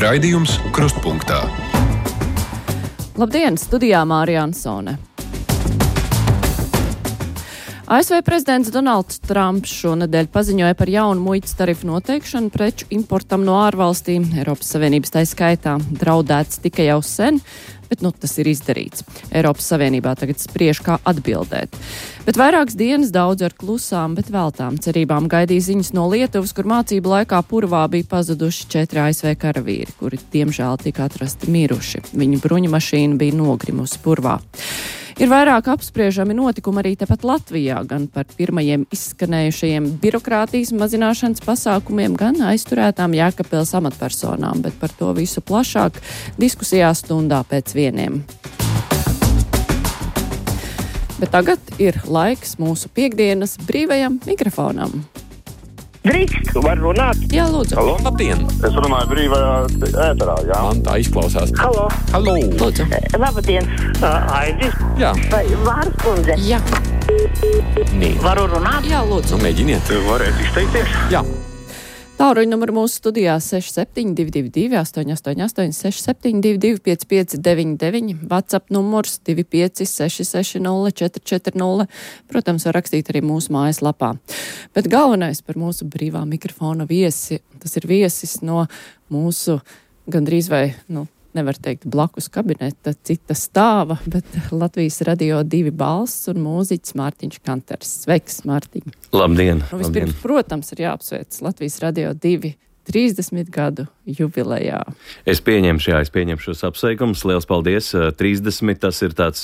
Raidījums Krustpunktā. Labdien, studijā Mārija Ansone. ASV prezidents Donalds Trumps šonedēļ paziņoja par jaunu muitas tarifu noteikšanu preču importam no ārvalstīm. Eiropas Savienības tai skaitā draudēts tikai jau sen, bet tas ir izdarīts. Eiropas Savienībā tagad spriež, kā atbildēt. Bet vairākas dienas daudz ar klusām, bet veltām cerībām gaidīja ziņas no Lietuvas, kur mācību laikā purvā bija pazuduši 4 ASV karavīri, kuri diemžēl tika atrasti miruši. Viņu bruņu mašīna bija nogrimusi purvā. Ir vairāk apspriežami notikumi arī tepat Latvijā, gan par pirmajiem izskanējušajiem birokrātijas mazināšanas pasākumiem, gan aizturētām Jēkabpils amatpersonām, bet par to visu plašāk diskusijā stundā pēc 1. Bet tagad ir laiks mūsu piekdienas brīvajam mikrofonam. Drīkst, var runāt? Jā, lūdzu. Halo, labdien! Es runāju brīvajā ēterā, jā. Man tā izklausās. Halo. Lūdzu. Labdien, Aidi? Jā. vai Vāras kundze? Jā, Nē. Varu runāt? jā, lūdzu. Mēģiniet. Varētu izteikties? Jā. Tālruņa numuru mūsu studijā 6722 888 672 559, WhatsApp numurs 25 660 440. Protams, var rakstīt arī mūsu mājaslapā. Bet galvenais par mūsu brīvā mikrofona viesi, tas ir viesis no mūsu gandrīz vai, nevar teikt blakus kabineta, cita stāva, bet Latvijas Radio 2 balss un mūziķis Mārtiņš Kanters. Sveiks, Mārtiņ! Labdien! Vispirms, protams, ir jāapsveic Latvijas Radio 2 30 gadu jubilejā. Es pieņemšu šos apsveikumus. Liels paldies! 30, tas ir tāds,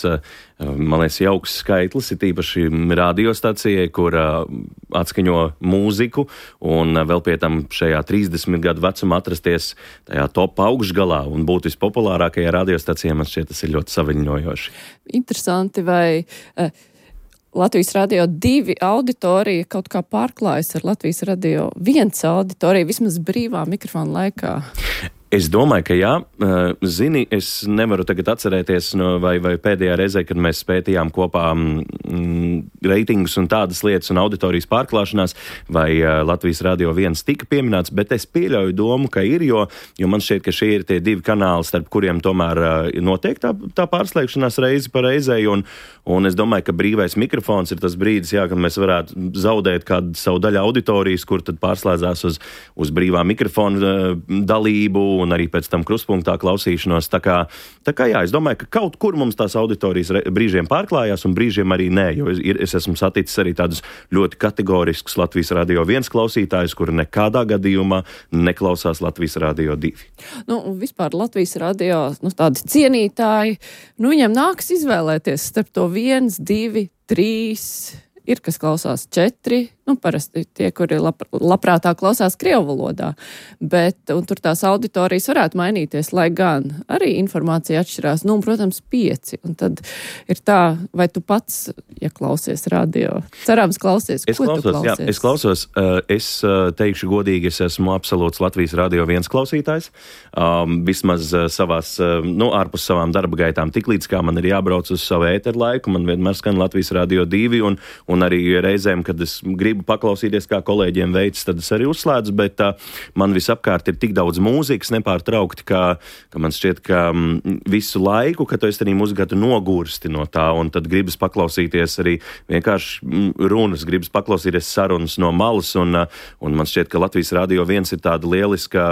man liekas, jauks skaitlis, ir tīpaši radiostacijai, kur atskaņo mūziku, un vēl pie tam šajā 30 gadu vecumā atrasties tajā top augšgalā un būt vispopulārākajā radiostacijā, man šķiet, tas ir ļoti saviņojoši. Interesanti, vai Latvijas Radio 2 auditorija kaut kā pārklājas ar Latvijas Radio 1 auditoriju, vismaz brīvā mikrofona laikā? Es domāju, ka jā. Zini, es nevaru tagad atcerēties, vai pēdējā reizē, kad mēs pētījām kopā reitingus un tādas lietas un auditorijas pārklāšanās, vai Latvijas Radio 1 tika pieminēts, bet es pieļauju domu, ka ir, jo man šķiet, ka šie ir tie 2 kanāli, starp kuriem tomēr notiek tā pārslēgšanās reizi pa reizei, un es domāju, ka brīvais mikrofons ir tas brīdis, jā, kad mēs varētu zaudēt kādu savu daļu auditorijas, kur tad pārslēdzās uz brīvā mikrofona dalību, un arī pēc tam Krustpunktā klausīšanos. Tā kā jā, es domāju, ka kaut kur mums tās auditorijas brīžiem pārklājās un brīžiem arī nē, jo es esmu saticis arī tādus ļoti kategoriskus Latvijas Radio 1 klausītājus, kuri nekādā gadījumā neklausās Latvijas Radio 2. Un vispār Latvijas Radio, tādi cienītāji, viņiem nāks izvēlēties starp to 1, 2, 3, ir, kas klausās 4, parasti tie, kuri labprātāk klausās krievu valodā, un tur tās auditorijas varētu mainīties, lai gan arī informācija atšķirās, protams, 5, un tad ir tā, vai tu pats, ja klausies radio, cerams klausies, tu klausies? Jā, es klausos, es teikšu godīgi, es esmu absolūts Latvijas Radio 1 klausītājs, vismaz savās, ārpus savām darba gaitām, tiklīdz kā man ir jābrauc uz savu ēteru laiku, man vienmēr skan Latvijas Radio 2, un arī reizēm, kad es gribu paklausīties, kā kolēģiem veids, tad es arī uzslēdzu, bet man visapkārt ir tik daudz mūzikas nepārtraukti, ka man šķiet, ka visu laiku, kad tu esi arī muzikātu nogursti no tā, un tad gribas paklausīties arī vienkārši runas, gribas paklausīties sarunas no malas, un man šķiet, ka Latvijas Radio 1 ir tāda lieliska,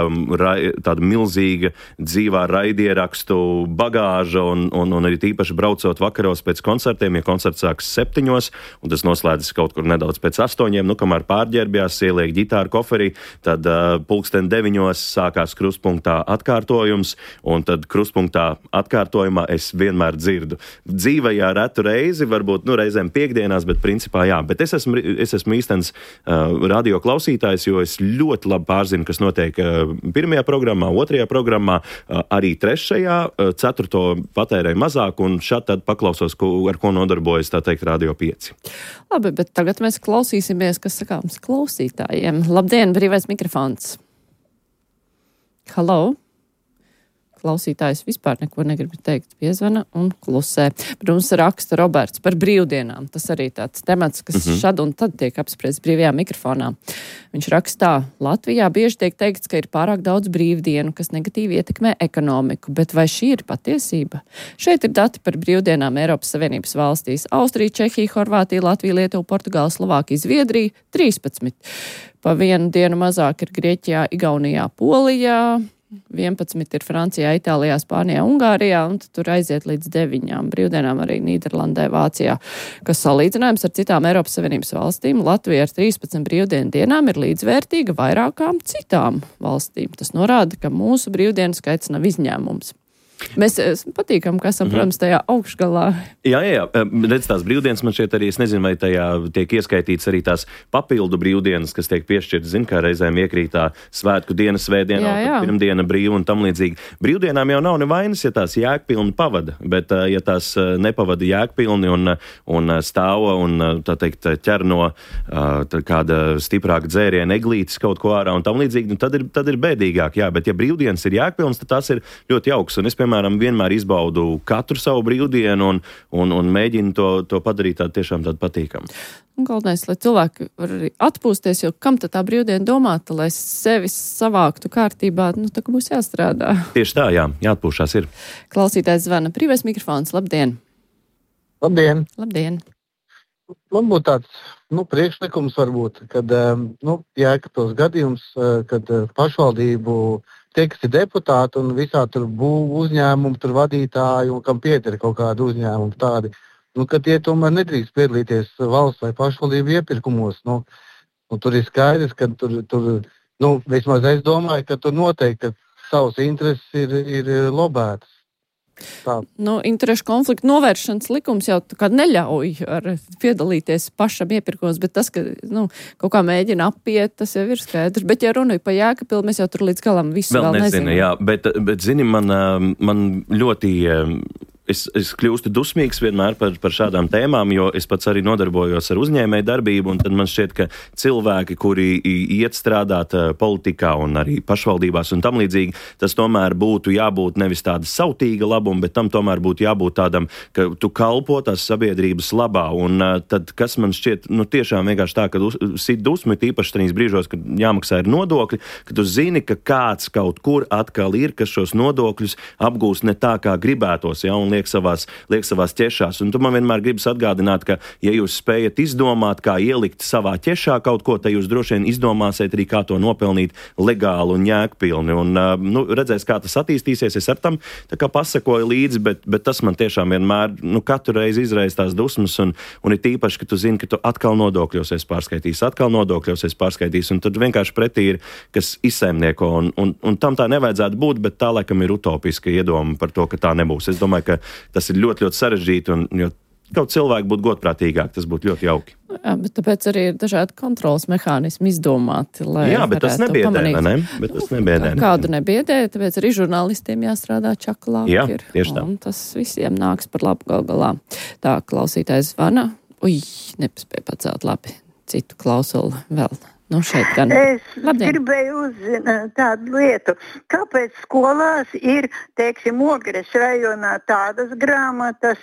tāda milzīga dzīvā raidierakstu bagāža, un arī tīpaši braucot vakaros pēc koncertiem, ja koncerts sāks 7, un tas noslēdzas kaut kur nedaudz pēc 8, kamēr pārģērbjās, ieliek ģitāru koferī, tad 9:00 sākās Krustpunktā atkārtojums, un tad Krustpunktā atkārtojumā es vienmēr dzirdu. Dzīvajā retu reizi, varbūt reizēm piekdienās, bet principā jā. Bet es esmu īstenis radio klausītājs, jo es ļoti labi pārzinu, kas notiek 1. programmā, 2. programmā, arī 3., 4. patērēju mazāk, un šad tad paklausos, ar ko nodarbojas, tā teikt, Radio 5. Labi, bet tagad mēs klausīsimies, kas sakāms klausītājiem. Labdien, brīvais mikrofons. Halo? klausītājs vispār neko negrib teikt, piezvana un klusē. Bet mums raksta Roberts par brīvdienām. Tas arī tāds temats, kas šad un tad tiek apspriests brīvajā mikrofonā. Viņš rakstā, Latvijā bieži tiek teikts, ka ir pārāk daudz brīvdienu, kas negatīvi ietekmē ekonomiku, bet vai šī ir patiesība? Šeit ir dati par brīvdienām Eiropas Savienības valstīs. Austrija, Čehija, Horvātija, Latvija, Lietuva, Portugāla, Slovākija, Zviedrija 13. Pa vienu dienu mazāk ir Grieķijā, Igaunijā, Polijā, 11 ir Francijā, Itālijā, Spānijā, Ungārijā, un tur aiziet līdz 9 brīvdienām arī Nīderlandē, Vācijā, kas salīdzinājums ar citām Eiropas Savienības valstīm. Latvija ar 13 brīvdienu dienām ir līdzvērtīga vairākām citām valstīm. Tas norāda, ka mūsu brīvdienu skaits nav izņēmums. Mēs patīkam, ka esam, protams, tajā augšgalā. Jā. Redz, tās brīvdienas man šeit arī, es nezinu, vai tajā tiek ieskaitīts arī tās papildu brīvdienas, kas tiek piešķirtas, zin, kā reizēm iekrītā svētku diena, svētdienā, pirmdiena brīva un tam līdzīgi. Brīvdienām jau nav nevainas, ja tās jēgpilni pavada, bet ja tās nepavada jēgpilni un stāva un, tā teikt, ķer no kāda stiprāka dzēriena eglītes kaut ko ārā un tam līdzīgi, tad ir bēdīgāk, jā, bet ja brīvdienas ir jēgpilns, tad tās ir ļoti jauks, un es, piemēram, vienmēr izbaudu katru savu brīvdienu un mēģinu to padarīt tādu patīkamu. Galvenais, lai cilvēki var arī atpūsties, jo kam tad tā brīvdiena domāta, lai sevi savāktu kārtībā, tā kā būs jāstrādā. Tieši tā, jā, jāatpūšās ir. Klausītājs zvana, brīvais mikrofons, labdien! Labdien! Labdien! Man būtu tāds, priekšlikums varbūt, kad, Jēkabpils gadījums, kad pašvaldību tie, kas ir deputāti un visā tur būvu uzņēmumu, tur vadītāji un kam pieder kaut kādu uzņēmumu tādi, ka tie tomēr nedrīkst piedalīties valsts vai pašvaldību iepirkumos. Tur ir skaidrs, ka tur vismaz es domāju, ka tur noteikti savas intereses ir lobētas. Tā. Interešu konfliktu novēršanas likums jau tā kā neļauj piedalīties pašam iepirkumos, bet tas, ka kaut kā mēģina apiet, tas jau ir skaidrs. Bet, ja runāju pa Jēkabpili, mēs jau tur līdz galam visu vēl nezinām. Jā, bet zini, man ļoti... Es kļūstu dusmīgs vienmēr par šādām tēmām, jo es pats arī nodarbojos ar uzņēmēju darbību, un tad man šķiet, ka cilvēki, kuri iet strādāt politikā un arī pašvaldībās un tam līdzīgi, tas tomēr būtu jābūt nevis tāda sautīga labuma, bet tam tomēr būtu jābūt tādam, ka tu kalpo tās sabiedrības labā, un tad, kas man šķiet, tiešām vienkārši tā, ka sit dusmi, tīpaši tajos brīžos, kad jāmaksā ir nodokļi, ka tu zini, ka kāds kaut kur atkal ir, kas šos nodokļus apgūst ne tā, kā gribētos, ja, un liek savās ķešās. Un tu man vienmēr gribas atgādināt, ka, ja jūs spējat izdomāt, kā ielikt savā ķešā kaut ko, tad jūs droši vien izdomāsiet arī, kā to nopelnīt legāli un jēgpilni. Un, redzēs, kā tas attīstīsies, es ar tam tā kā pasakoju līdzi, bet tas man tiešām vienmēr, katru reizi izraisa tās dusmas, un ir tīpaši, ka tu zini, ka tu atkal nodokļos esi pārskaitījis, un tad vienkārši pretī ir, kas izsaimnieko, un tam tā nevajadzētu būt, bet tā laikam ir utopiska iedoma par to, ka tā nebūs. Es domāju, ka tas ir ļoti, ļoti sarežģīti, un jo kaut cilvēki būtu godprātīgāk, tas būtu ļoti jauki. Jā, bet tāpēc arī ir dažādi kontrolas mehānismi izdomāti, lai bet tas nebiedē, ne? Bet tas nebiedē. Kādu nebiedē, tāpēc arī žurnālistiem jāstrādā čaklāk. Jā, tieši tā. Un tas visiem nāks par labu galā. Tā, klausītājs zvana. Nepaspēja pacelt labi. Citu klausuli vēl. Šeit gan. Es gribēju uzzināt tādu lietu, kāpēc skolās ir, Ogres rajonā tādas grāmatas,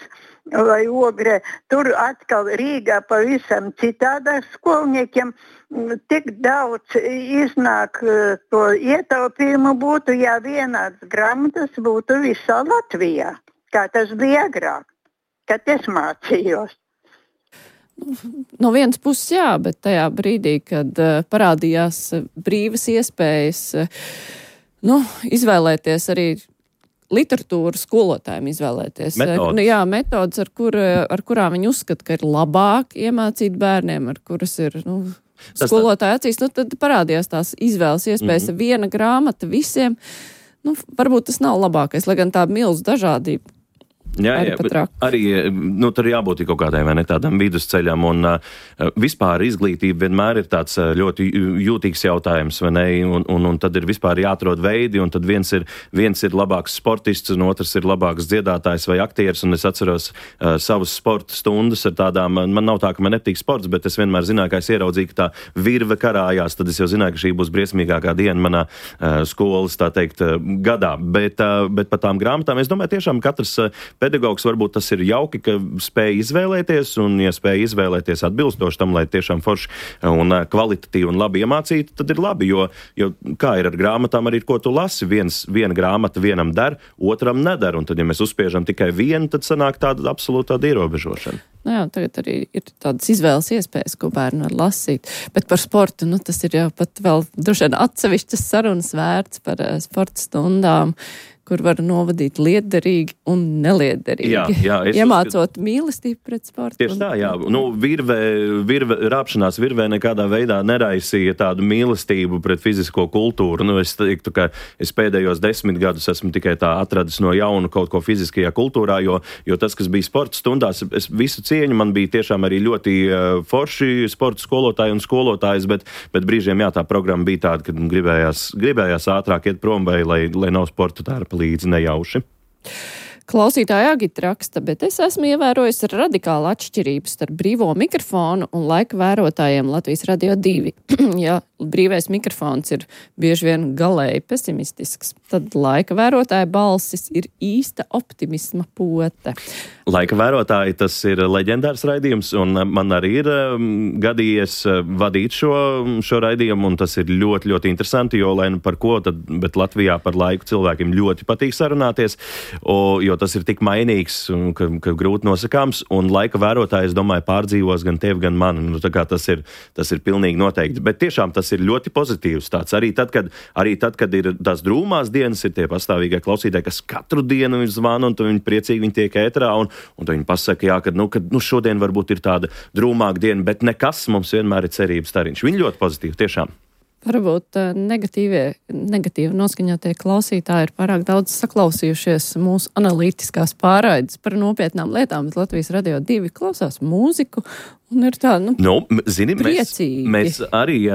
vai Ogre, tur atkal Rīgā pavisam citādāk skolniekiem tik daudz iznāk to ietaupījumu būtu, ja vienāds grāmatas būtu visā Latvijā, kā tas bija agrāk, kad es mācījos. No vienas puses jā, bet tajā brīdī, kad parādījās brīvas iespējas, izvēlēties arī literatūru skolotājiem izvēlēties. Metodas, ar kurām viņi uzskata, ka ir labāk iemācīt bērniem, ar kuras ir, skolotāji acīs, tad parādījās tās izvēles iespējas viena grāmata visiem. Varbūt tas nav labākais, lai gan tā milzu dažādība. arī pat traki. Arī, tur jābūt kaut kādai, vai ne, tādam vidusceļam, un vispār izglītība vienmēr ir tāds ļoti jūtīgs jautājums, vai ne, un tad ir vispār jāatrod veidi, un tad viens ir labāks sportists, un otrs ir labāks dziedātājs vai aktieris, un es atceros savus sporta stundas ar tādām, man nav tā, ka man nepatīk sports, bet es vienmēr zināju, ka es ieraudzīju, ka tā virve karājās, tad es jau zināju, ka šī būs briesmīgākā diena manā skolas, tā teikt, gadā, bet par tām grāmatām, es domāju, tiešām katrs pedagogs varbūt tas ir jauki, ka spēj izvēlēties, un ja spēj izvēlēties atbilstoši tam, lai tiešām forši un kvalitatīvi un labi iemācītu, tad ir labi, jo kā ir ar grāmatām arī, ko tu lasi, viena grāmata vienam der, otram nedar, un tad, ja mēs uzspiežam tikai vienu, tad sanāk tāda absolūta ierobežošana. Nu jā, tagad arī ir tādas izvēles iespējas, ko bērni var lasīt, bet par sportu, tas ir jau pat vēl droši vien atsevišķas sarunas vērts par sporta stundām, kur var novadīt liederīgi un neliederīgi. Jā, iemācot mīlestību pret sportu. Tieši tā, jā. Rāpšanās virvē nekādā veidā neraisīja tādu mīlestību pret fizisko kultūru. Es teiktu, ka es pēdējos 10 gadus esmu tikai tā atradis no jauna kaut ko fiziskajā kultūrā, jo tas, kas bija sporta stundās, es visu cieņu, man bija tiešām arī ļoti forši sporta skolotāji un skolotājas, bet brīžiem, jā, tā programma bija tāda, kad gribējās ātrāk iet prom, vai lai nav sporta tērpa līdzi nejauši. Klausītāja Agita raksta, bet es esmu ievērojis radikālu atšķirību starp brīvo mikrofonu un laika vērotājiem Latvijas Radio 2. Ja brīvais mikrofons ir bieži vien galēji pesimistisks, tad laika vērotāja balsis ir īsta optimisma pote. Laika vērotāji, tas ir leģendārs raidījums, un man arī ir gadījies vadīt šo raidījumu, un tas ir ļoti, ļoti interesanti, jo lai par ko tad, bet Latvijā par laiku cilvēkiem ļoti patīk sarunāties, jo tas ir tik mainīgs, ka grūti nosakāms, un laika vērotāji, es domāju, pārdzīvos gan tevi, gan mani. Tā kā tas ir pilnīgi noteikti. Bet tiešām tas ir ļoti pozitīvs tāds. Arī tad, kad ir tās drūmās dienas, ir tie pastāvīgie klausītāji, kas katru dienu ir zvana, un viņi priecīgi viņi tiek ēterā, un viņi pasaka, jā, kad šodien varbūt ir tāda drūmāka diena, bet nekas, mums vienmēr ir cerības stariņš. Viņi ļoti pozitīvi, tiešām. Varbūt negatīvi noskaņotie klausītāji ir pārāk daudz saklausījušies mūsu analītiskās pārraides par nopietnām lietām, bet Latvijas Radio 2 klausās mūziku un ir tā, priecīgi. Mēs arī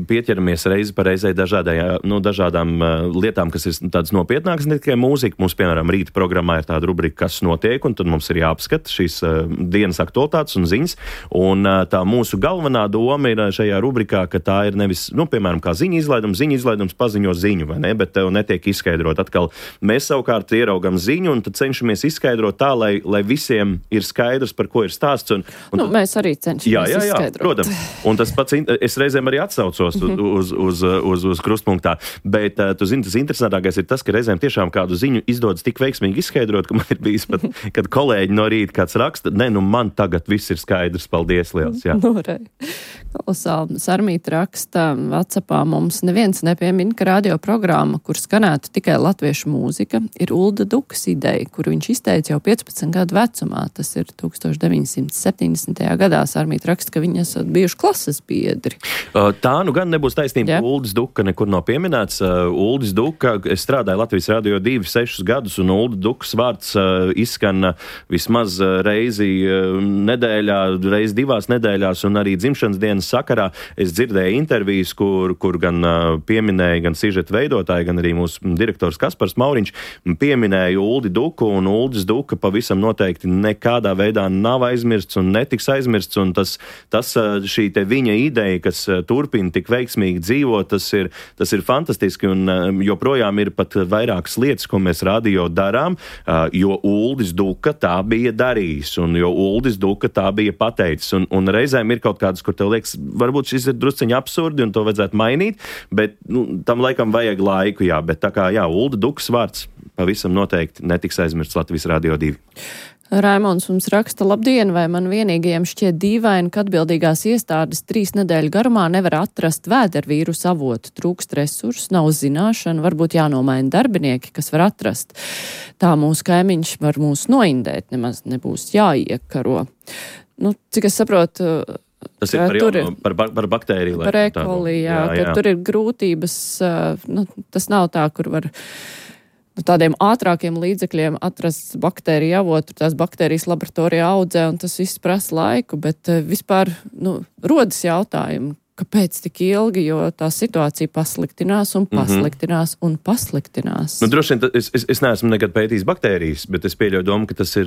pieķeramies reizi pa reizei dažādām lietām, kas ir tādas nopietnākas, ne tikai mūzika. Mums, piemēram, rīta programmā ir tāda rubrika, kas notiek, un tad mums ir jāapskata šīs dienas aktualitātes un ziņas. Un tā mūsu galvenā doma ir šajā rubrikā, ka tā ir nevis, piemēram, kā ziņu izlaidums paziņo ziņu, vai ne, bet tev netiek izskaidrot. Atkal mēs savukārt ieraugam ziņu, un tad cenšamies izskaidrot tā, lai visiem ir skaidrs, par ko ir stāsts. Mēs arī cenšamies izskaidrot. Protams. Un tas pats, es reizēm arī atsaucos uz krustpunktā, bet tu zini, tas interesantākais ir tas, ka reizēm tiešām kādu ziņu izdodas tik veiksmīgi izskaidrot, ka man ir bijis pat, kad kolēģi no rīta kāds raksta, man tagad viss ir skaidrs, paldies liels, jā. Kolosāli. Sarmīta raksta, WhatsAppā mums neviens nepiemin, ka radioprogramma, kur skanētu tikai latviešu mūzika, ir Ulda Dukas ideja, kuru viņš izteica jau 15 gadu vecumā. Tas ir 1970. gadā. Sarmīta raksta, ka viņi esat bijuši klases biedri. Tā gan nebūs taisnība. Uldis Duka nekur nav pieminēts. Uldis Duka, es strādāju Latvijas Radio 2 6 gadus, un Ulda Dukas vārds izskan vismaz reizi nedēļā, reizi 2 nedēļās, un arī dzimšanas dienas sakarā. Es dzirdēju intervijas, kur gan pieminēja gan sižeta veidotāji, gan arī mūsu direktors Kaspars Mauriņš pieminēja Uldi Duku, un Uldis Duka pavisam noteikti nekādā veidā nav aizmirsts un netiks aizmirsts, un šī te viņa ideja, kas turpina tik veiksmīgi dzīvot, tas ir fantastiski, un joprojām ir pat vairākas lietas, ko mēs radio darām, jo Uldis Duka tā bija darījis, un jo Uldis Duka tā bija pateicis, un reizēm ir kaut kādas, kur tev liekas, varbūt šis ir drusciņi absurdi, un to vajadzētu mainīt, bet tam laikam vajag laiku, jā, bet tā kā, jā, Ulda Dukas vārds pavisam noteikti netiks aizmirsts Latvijas Radio 2. Raimons mums raksta, labdien, vai man vienīgajiem šķiet dīvaini, ka atbildīgās iestādes 3 nedēļu garumā nevar atrast vēdervīrusu avotu, trūkst resursu, nav zināšana, varbūt jānomaina darbinieki, kas var atrast. Tā mūsu kaimiņš var mūs noindēt, nemaz nebūs jāiekaro. Cik es saprotu, tas ir par baktēriju. Par ekoli, jā, ka tur ir grūtības, tas nav tā, kur var tādiem ātrākiem līdzekļiem atrast baktēriju avotu, tās baktērijas laboratorijā audzē, un tas viss prasa laiku, bet vispār, rodas jautājumi, kāpēc tik ilgi, jo tā situācija pasliktinās un pasliktinās un pasliktinās. Droši vien, es neesmu nekad pētījis baktērijas, bet es pieļauju domu, ka tas ir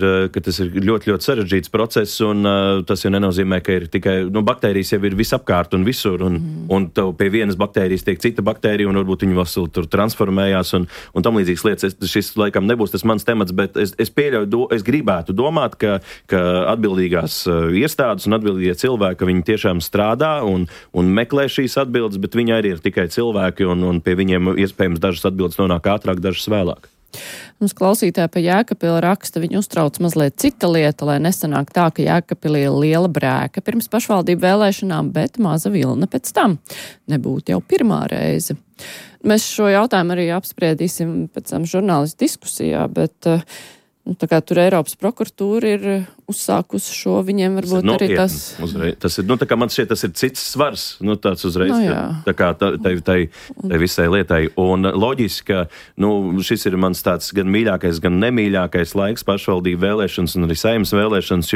ļoti, ļoti sarežģīts process, un tas jau nenozīmē, ka ir tikai, baktērijas jau ir visapkārt un visur, un tev pie vienas baktērijas tiek cita baktērija, un varbūt viņi vēl tur transformējās, un tam līdzīgas lietas. Šis laikam nebūs tas mans temats, bet es pieļauju, es gribētu domāt, ka atbildīgās iestādes un atbildīgie cilvēki, viņi tiešām strādā un meklē šīs atbildes, bet viņi arī ir tikai cilvēki, un pie viņiem iespējams dažas atbildes nonāk ātrāk, dažas vēlāk. Mums klausītāji pa Jēkabili raksta, viņu uztrauc mazliet cita lieta, lai nesanāk tā, ka Jēkabili ir liela brēka pirms pašvaldību vēlēšanām, bet maza vilna pēc tam. Nebūtu jau pirmā reize. Mēs šo jautājumu arī apspriedīsim pēc tam žurnālistu diskusijā, bet tā kā tur Eiropas prokuratūra ir uzsākusi šo, viņiem varbūt arī tas... Tas ir, tā kā man šķiet, tas ir cits svars, tāds uzreiz, tā kā tai visai lietai. Un loģiski, ka, šis ir mans tāds gan mīļākais, gan nemīļākais laiks pašvaldību vēlēšanas un arī saimnes vēlēšanas,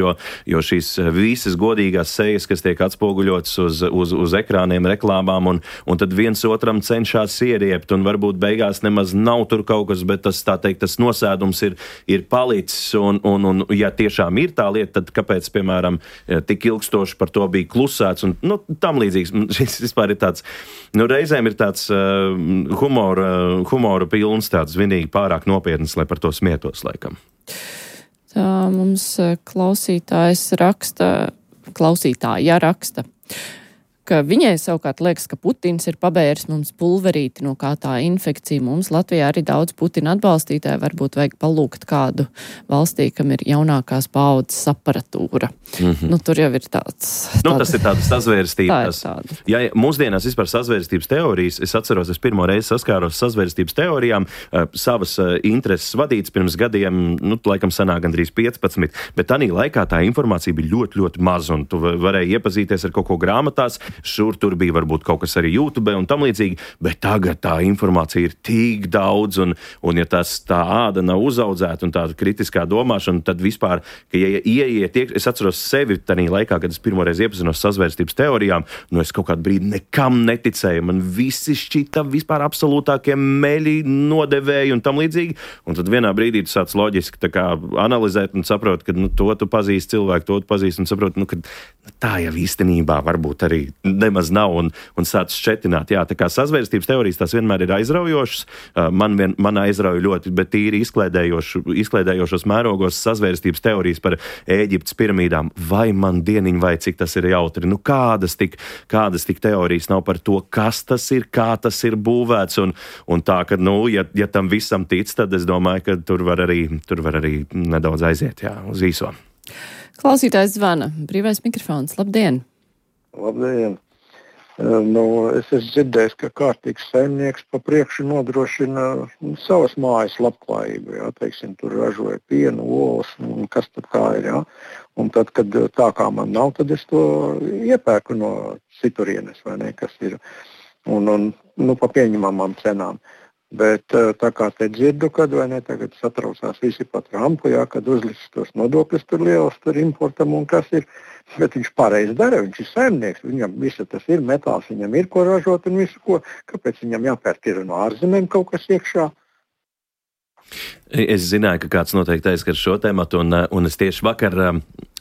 jo šīs visas godīgās sejas, kas tiek atspoguļotas uz ekrāniem, reklāmām, un tad viens otram cenšas ieriept, un varbūt beigās nemaz nav tur kaut kas, bet tas, tā teikt, tas nosēdums ir palicis, un ja tiešām ir tā lieta, tad kāpēc, piemēram, tik ilgstoši par to bija klusēts, un tam līdzīgs. Šis vispār ir tāds, reizēm ir tāds humora pilns, tāds vinīgi pārāk nopietnas, lai par to smietos, laikam. Tā mums klausītāja raksta, ka viņai savukārt liekas, ka Putins ir pabēris mums pulverīti, no kā tā infekcija. Mums Latvijā arī daudz Putina atbalstītāji, varbūt vajag palūgt kādu valstī, kam ir jaunākās paaudzes aparatūra. Tur jau ir tāds... Tas ir tāda sazvērstības. Tā ir tāda. Ja mūsdienās vispār sazvērstības teorijas, es atceros, es pirmo reizi saskāros sazvērstības teorijām, savas intereses vadīts pirms gadiem, laikam sanāk gandrīz 15, bet tanī laikā tā informācija bija ļoti, ļoti maz, un tu varēji iepazīties ar kaut ko grāmatās, šur tur bija varbūt kaut kas arī YouTube un tam līdzīgi, bet tagad tā informācija ir tik daudz, un ja tā āda nav uzaudzēta un tāda kritiskā domāšana, tad vispār, ka ja ieiet, es atceros sevi tanī laikā, kad es pirmoreiz iepazinos sazvērstības teorijām, es kaut kādu brīdi nekam neticēju, man visi šķita vispār absolūtākie meļi, nodevēji un tam līdzīgi, un tad vienā brīdī tu sāc loģiski tā kā analizēt un saprot, ka to tu pazīsti cilvēku, to tu pazīsti un saprot, ka tā jau īstenībā varbūt arī nemaz nav un sāc šķetināt. Jā, tā kā sazvērstības teorijas tās vienmēr ir aizraujošas. Man aizrauja ļoti, bet tīri izklēdējošos mērogos sazvērstības teorijas par Ēģiptes piramīdām. Vai man dieniņ, vai cik tas ir jautri? Kādas tik teorijas nav par to, kas tas ir, kā tas ir būvēts, un tā, ka, ja tam visam tic, tad es domāju, ka tur var arī nedaudz aiziet, uz īso. Klausītājs zvana. Brīvais mikrofons. Labdien! Labdien! Es esmu dzirdējis, ka kārtīgs saimnieks pa priekšu nodrošina savas mājas labklājību. Teiksim, tur ražoja pienu, olas, un kas tad kā ir. Un tad, kad tā kā man nav, tad es to iepērku no citurienes, vai ne, kas ir. Un pa pieņemamām cenām. Bet tā kā te dzirdu, kad vai ne, tagad satraucās visi pa Trumpu, kad uzlicis tos nodokļus tur lielas, tur importam un kas ir. Bet viņš pareizi dara, viņš ir saimnieks, viņam visu tas ir metāls, viņam ir ko ražot un visu ko. Kāpēc viņam jāpērk ir no ārzemēm kaut kas iekšā? Es zināju, ka kāds noteikti aizskar šo tēmatu, un es tieši vakar,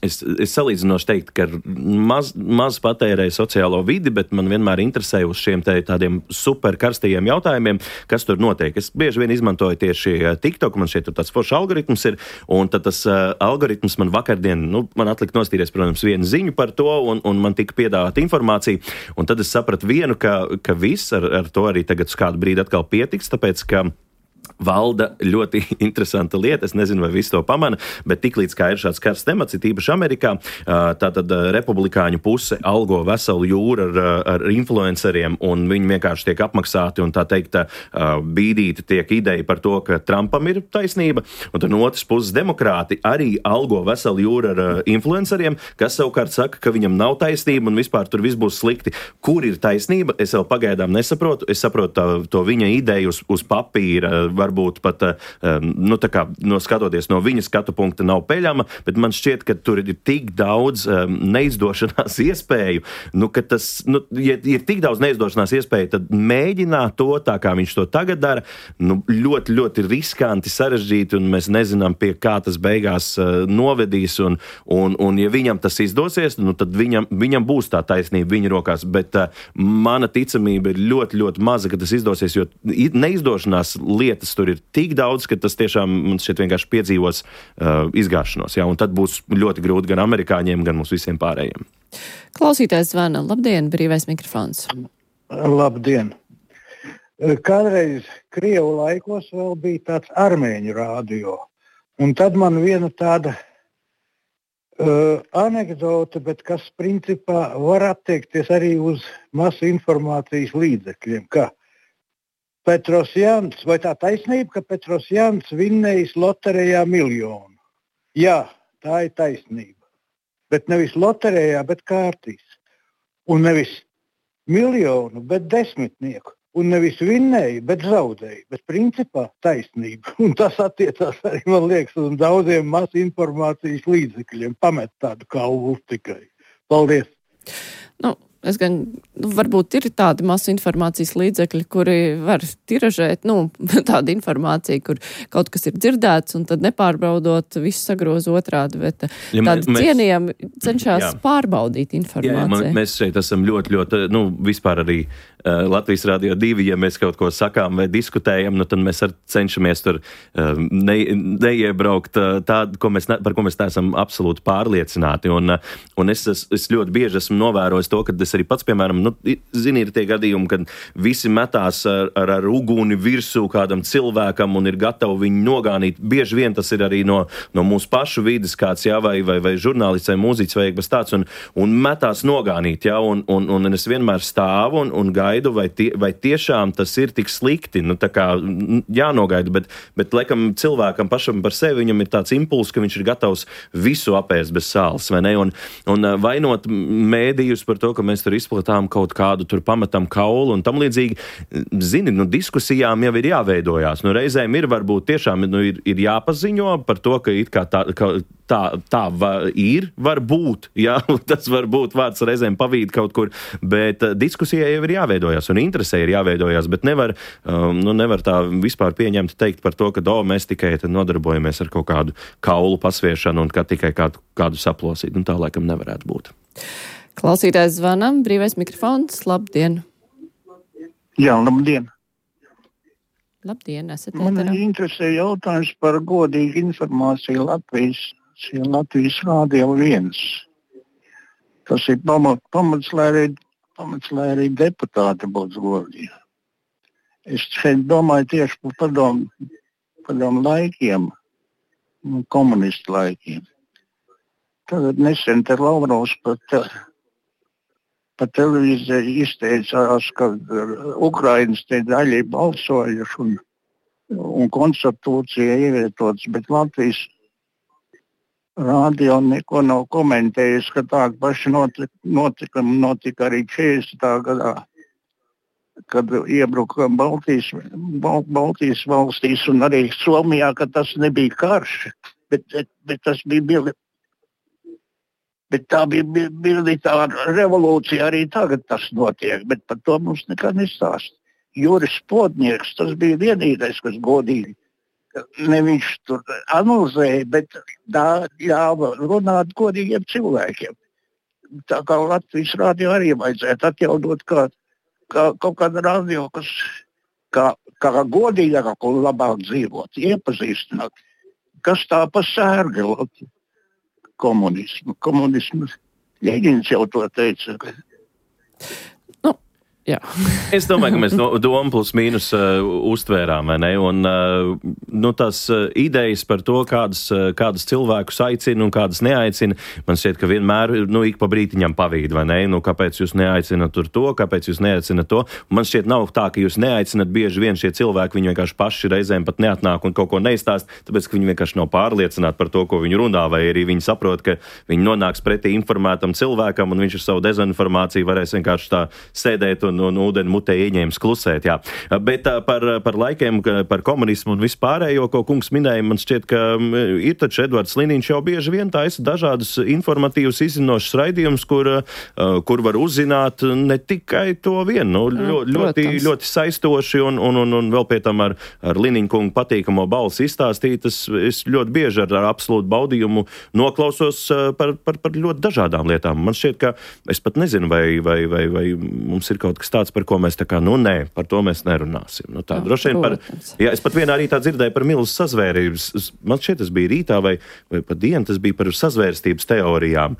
es salīdzinoši teikt, ka maz patērēju sociālo vidi, bet man vienmēr interesēja uz šiem tādiem super karstajiem jautājumiem, kas tur notiek. Es bieži vien izmantoju tieši TikTok, man šeit tur tāds foršs algoritms ir, un tad tas algoritms man vakardien, man atlika nostīries, protams, vienu ziņu par to, un man tika piedāvāta informācija, un tad es sapratu vienu, ka viss ar to arī tagad uz kādu brīdi atkal pietiks, tāpēc, ka valda ļoti interesanta lieta, es nezinu, vai visi to pamana, bet tiklīdz kā ir šāds karsts temats, ir īpaši Amerikā, tātad republikāņu puse algo veselu jūru ar influenceriem, un viņi vienkārši tiek apmaksāti, un tā teikt, bīdīti tiek ideja par to, ka Trumpam ir taisnība, un tad no otras puses demokrāti arī algo veselu jūru ar influenceriem, kas savukārt saka, ka viņam nav taisnība, un vispār tur viss būs slikti. Kur ir taisnība? Es vēl pagaidām nesaprotu. Es saprotu to viņa ideju uz papīra, varbūt pat, tā kā, skatoties no viņa skatu punkta nav peļama, bet man šķiet, ka tur ir tik daudz neizdošanās iespēju, ka tas, ja ir tik daudz neizdošanās iespēju, tad mēģināt to, tā kā viņš to tagad dara, ļoti, ļoti riskanti, sarežģīti, un mēs nezinām, pie kā tas beigās novedīs, un ja viņam tas izdosies, tad viņam būs tā taisnība viņa rokās, bet mana ticamība ir ļoti, ļoti maza, ka tas izdosies, jo neizdošanās lietas tur ir tik daudz, ka tas tiešām mums šeit vienkārši piedzīvos izgāšanos, un tad būs ļoti grūti gan amerikāņiem, gan mums visiem pārējiem. Klausītājs zvana. Labdien, brīvais mikrofons. Labdien. Kādreiz Krievu laikos vēl bija tāds armēņu rādio, un tad man viena tāda anekdote, bet kas principā var attiekties arī uz masu informācijas līdzekļiem, ka Petrosjans, vai tā taisnība, ka Petrosjans vinnējis loterijā 1 miljonu? Jā, tā ir taisnība, bet nevis loterijā, bet kārtīs. Un nevis 1 miljonu, bet 10. Un nevis vinnēja, bet zaudēja. Bet principā taisnība. Un tas attiecās arī, man liekas, uz daudziem masu informācijas līdzekļiem. Pamet tādu kaulu tikai. Paldies! Es gan, varbūt ir tādi masu informācijas līdzekļi, kuri var tiražēt, tāda informācija, kur kaut kas ir dzirdēts, un tad nepārbaudot, visu sagroz otrādi, bet tādi cienījami cenšas pārbaudīt informāciju. Jā, mēs šeit esam ļoti, ļoti, vispār arī Latvijas Radio 2, ja mēs kaut ko sakām vai diskutējam, tad mēs cenšamies tur neiebraukt tādu, par ko mēs neesam absolūti pārliecināti. Un es ļoti bieži esmu novērojis to, ka es arī pats, piemēram, ir tie gadījumi, kad visi metās ar uguni virsū kādam cilvēkam un ir gatavi viņu nogānīt. Bieži vien tas ir arī no mūsu pašu vides kāds, vai žurnālists vai mūziķis vai kas tāds, un metās nogānīt, un es vienmēr stāvu un gaidu, vai tiešām tas ir tik slikti, tā kā jānogaida, bet laikam cilvēkam pašam par sevi viņam ir tāds impulss, ka viņš ir gatavs visu apēst bez sāls, vai ne? Un vainot mēdījus par to, ka mēs tur izplatām kaut kādu, tur pametam kaulu un tam līdzīgi, diskusijām jau ir jāveidojās. Reizēm ir varbūt tiešām ir jāpaziņo par to, ka it kā tā ir, varbūt, tas varbūt vārds reizēm pavīd kaut kur, bet diskusijai jau ir jāveidojās un interesē ir jāveidojās, bet nevar tā vispār pieņemt teikt par to, ka mēs tikai nodarbojamies ar kaut kādu kaulu pasviešanu un ka tikai kādu saplosīt. Tā laikam nevarētu būt. Klausītājs zvanam, brīvais mikrofons, labdien. Jā, labdien. Labdien, esat Man interesē jautājums par godīgu informāciju Latvijas Rādio 1. Tas ir pamats, lai arī deputāti būtu godīgi. Es šeit domāju tieši par padomu laikiem, komunistu laikiem. Tagad nesen te Lavrovs pa televīziju izteicās, ka Ukrainas te daļai balsojuši un konstitūcija ievietots, bet Latvijas Rādio neko nav komentējis, ka tāda paša notika arī 40. gadā, kad iebruka Baltijas valstīs un arī Somijā, ka tas nebija karš, bet tas bija Bet tā bija militāra revolūcija, arī tagad tas notiek, bet par to mums nekad nestāst. Juris Plotnieks, tas bija vienīgais, kas godīgi. Ne viņš tur analizēja, bet ļāva runāt godīgiem cilvēkiem. Tā kā Latvijas Rādio arī vajadzētu atjaunot kaut kādu radio, kas kā godīgāk un labāk dzīvot, iepazīstināt. Kas tā pa sērga Latvijas? Komunismu. Ļeņins jau to teica. Jā. Es domāju, ka mēs domu plus mīnus uztvērām, vai ne? Un tās idejas par to, kādas cilvēkus aicina un kādas neaicina, man šķiet, ka vienmēr ik pa brītiņam pavīd, vai ne? Kāpēc jūs neaicinat tur to, kāpēc jūs neaicinat to? Man šķiet nav tā, ka jūs neaicinat bieži vien šie cilvēki, viņi vienkārši paši reizēm pat neatnāk un kaut ko neizstāst, tāpēc, ka viņi vienkārši nav pārliecināti par to, ko viņi runā, vai arī viņi saprot, ka viņi nonāks pretī informētam cilvēkam un viņš ar savu dezinformāciju varēs vienkārši tā sēdēt un ūdeni mutē ieņēmis klusēt, jā. Bet par laikiem, par komunismu un vispārējo, ko kungs minēja, man šķiet, ka ir taču Edvards Liniņš jau bieži vien taisa dažādus informatīvus izzinošus raidījumus, kur var uzzināt ne tikai to vienu, ļoti saistoši un vēl pie tam ar Liniņu kungu patīkamo balsi izstāstīt. Es ļoti bieži ar absolūtu baudījumu noklausos par ļoti dažādām lietām. Man šķiet, ka es pat nezinu, vai mums ir kaut kas tāds, par ko mēs nē, par to mēs nerunāsim. Tā droši vien es pat vienā rītā dzirdēju par milzu sazvērības. Man šķiet, tas bija rītā vai pa dienu, tas bija par sazvērstības teorijām.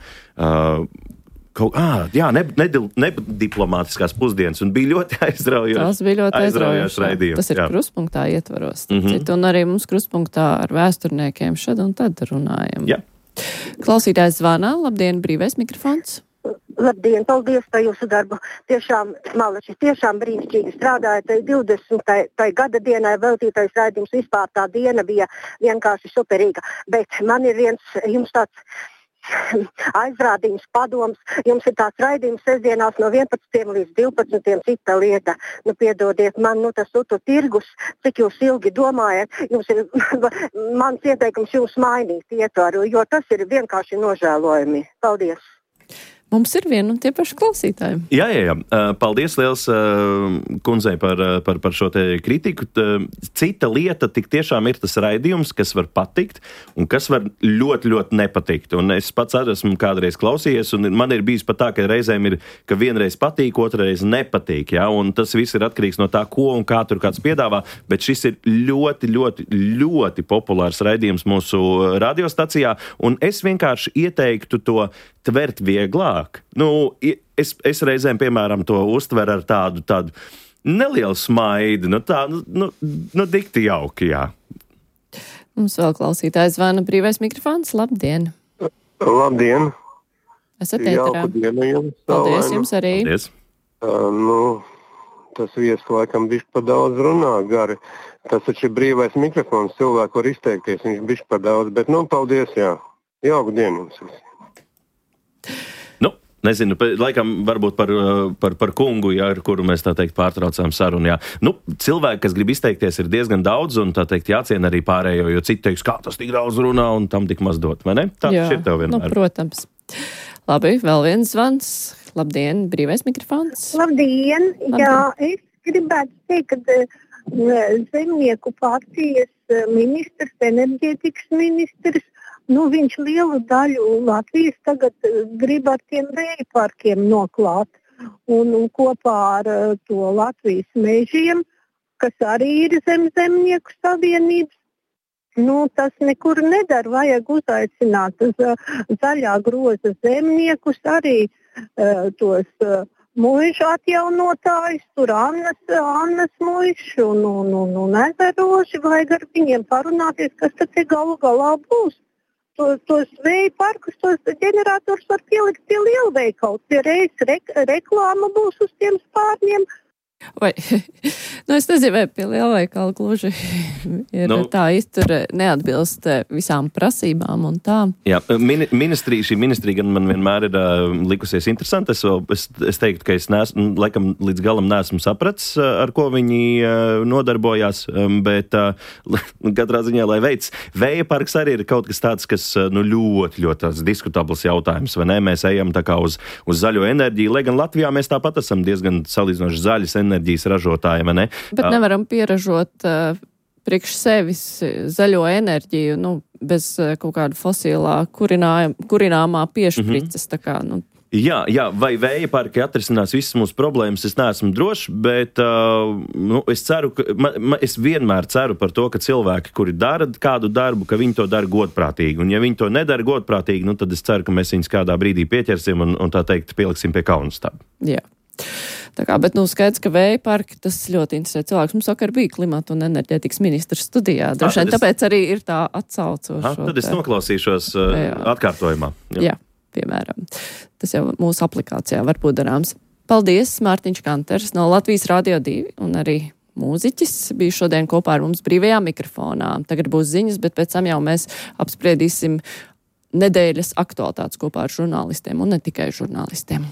Nediplomātiskās pusdienas, un bija ļoti aizraujoši. Tas bija ļoti aizraujoši raidījums. Tas ir Kruspunktā ietvaros. Un arī mums Kruspunktā ar vēsturniekiem šad un tad runājam. Jā. Klausītājs zvana. Labdien, brīvais mikrofons. Labdien, paldies par jūsu darbu. Tiešām, Malači, tiešām brīnišķīgi strādājat. 20. gada dienai veltītais raidījums, vispār tā diena bija vienkārši superīga. Bet man ir viens jums tāds aizrādījums, padoms. Jums ir tāds raidījums sestdienās no 11 līdz 12 cita lieta. Piedodiet man, tas tirgus, cik jūs ilgi domājat, jums ir mans ieteikums jūs mainīt ietvaru, jo tas ir vienkārši nožēlojami. Paldies! Mums ir viena un tie paši klausītāji. Jā. Paldies liels kundzei par šo te kritiku. Cita lieta tik tiešām ir tas raidījums, kas var patikt un kas var ļoti, ļoti nepatikt. Un es pats arī esmu kādreiz klausījies, un man ir bijis pat tā, ka reizēm ir, ka vienreiz patīk, otrreiz nepatīk. Ja? Un tas viss ir atkarīgs no tā, ko un kā tur kāds piedāvā. Bet šis ir ļoti, ļoti, ļoti populārs raidījums mūsu radiostacijā. Un es vienkārši ieteiktu to tvert vieglāk. Es reizēm, piemēram, to uztveru ar tādu nelielu smaidi. Dikti jauki, jā. Mums vēl klausītājs zvana brīvais mikrofons. Labdien! Labdien! Esat ēterā. Jauku dienu jums. Paldies jums arī. Paldies. Tas viesis laikam bišķi par daudz runā gari. Tas taču ir brīvais mikrofons, cilvēku var izteikties, viņš bišķi par daudz, bet paldies, jā. Jauku dienu jums. Nezinu, laikam varbūt par kungu, jā, ar kuru mēs tā teikt pārtraucām sarunu. Jā. Cilvēki, kas grib izteikties, ir diezgan daudz, un tā teikt jāciena arī pārējo, jo citi teiks, kā tas tik daudz runā un tam tik maz dot, vai ne? Tā ir tev vienmēr. Protams. Labi, vēl viens zvans. Labdien, brīvais mikrofons. Labdien. Jā, es gribētu teikt, ka Zemnieku partijas ministrs, enerģētikas ministrs, viņš lielu daļu Latvijas tagad grib ar tiem vēja parkiem noklāt. Un kopā ar to Latvijas mežiem, kas arī ir zem Zemnieku savienības, tas nekur nedara. Vajag uzaicināt zaļā groza zemniekus, arī tos muižu atjaunotājus, tur Annas muišu un ezeroši. Vajag ar viņiem parunāties, kas tad galu galā būs. Tos vēja parkus, tos ģenerators var pielikt pie lielveikalu. Pie reizes reklāma būs uz tiem spārņiem. Vai, es nezinu, vai pie lielveikala gluži ir tā iztura neatbilst visām prasībām un tā. Jā, šī ministrija gan man vienmēr ir likusies interesanti. Es teiktu, ka es laikam līdz galam neesmu sapratis, ar ko viņi nodarbojās, bet katrā ziņā, lai veic. Vēja parks arī ir kaut kas tāds, kas ļoti, ļoti tāds diskutabls jautājums, vai ne? Mēs ejam tā kā uz zaļo enerģiju, lai gan Latvijā mēs tāpat esam diezgan salīdzinoši zaļas enerģijas ražotāji, vai ne? Bet nevaram pieražot priekš sevis zaļo enerģiju, bez kaut kāda fosilā kurināmā piešprices, tā kā, Jā, vai vēja parki atrisinās visas mūsu problēmas, es neesmu drošs, bet es ceru, es vienmēr ceru par to, ka cilvēki, kuri dara kādu darbu, ka viņi to dara godprātīgi. Un ja viņi to nedara godprātīgi, tad es ceru, ka mēs viņus kādā brīdī pieķersim un tā teikt pieliksim pie kaunstāba. Jā. Tā kā, bet skaidrs, ka vēja parki, tas ļoti interesē cilvēks. Mums vakar bija klimata un enerģētikas ministrs studijā. Droši vien tāpēc arī ir tā atsaucošo. Tad es noklausīšos atkārtojumā. Jā, piemēram. Tas jau mūsu aplikācijā var būt darāms. Paldies, Mārtiņš Kanters no Latvijas Radio 2 un arī mūziķis bija šodien kopā ar mums brīvajā mikrofonā. Tagad būs ziņas, bet pēc tam jau mēs apspriedīsim nedēļas aktualitātes kopā ar žurnālistiem un ne tikai žurnālistiem.